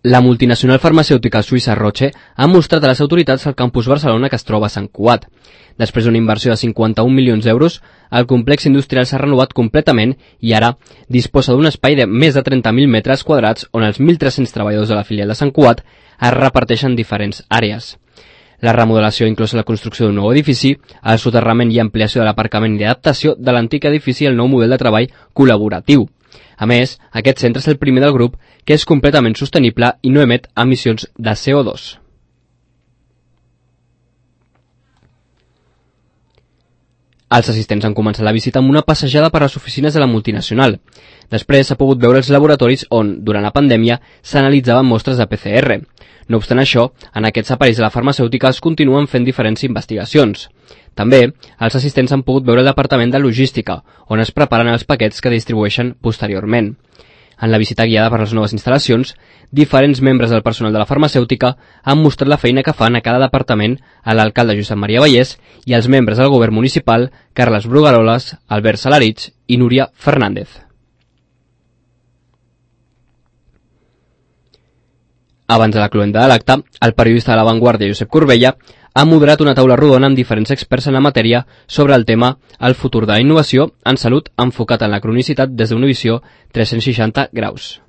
La multinacional farmacèutica suïssa Roche ha mostrat a les autoritats al campus Barcelona que es troba a Sant Cugat. Després d'una inversió de 51 milions d'euros, el complex industrial s'ha renovat completament i ara disposa d'un espai de més de 30.000 metres quadrats on els 1.300 treballadors de la filial de Sant Cugat es reparteixen diferents àrees. La remodelació inclosa la construcció d'un nou edifici, el soterrament i ampliació de l'aparcament i adaptació de l'antic edifici al nou model de treball col·laboratiu. A més, aquest centre és el primer del grup que és completament sostenible i no emet emissions de CO2. Els assistents han començat la visita amb una passejada per les oficines de la multinacional. Després s'ha pogut veure els laboratoris on, durant la pandèmia, s'analitzaven mostres de PCR. No obstant això, en aquests aparells de la farmacèutica es continuen fent diferents investigacions. També, els assistents han pogut veure el departament de logística, on es preparen els paquets que distribueixen posteriorment. En la visita guiada per les noves instal·lacions, diferents membres del personal de la farmacèutica han mostrat la feina que fan a cada departament a l'alcalde Josep Maria Vallès i als membres del govern municipal Carles Brugaroles, Albert Salarich i Núria Fernández. Abans de la cloenda de l'acte, el periodista de La Vanguardia Josep Corbella ha moderat una taula rodona amb diferents experts en la matèria sobre el tema El futur de la innovació en salut enfocat en la cronicitat des d'una visió 360 graus.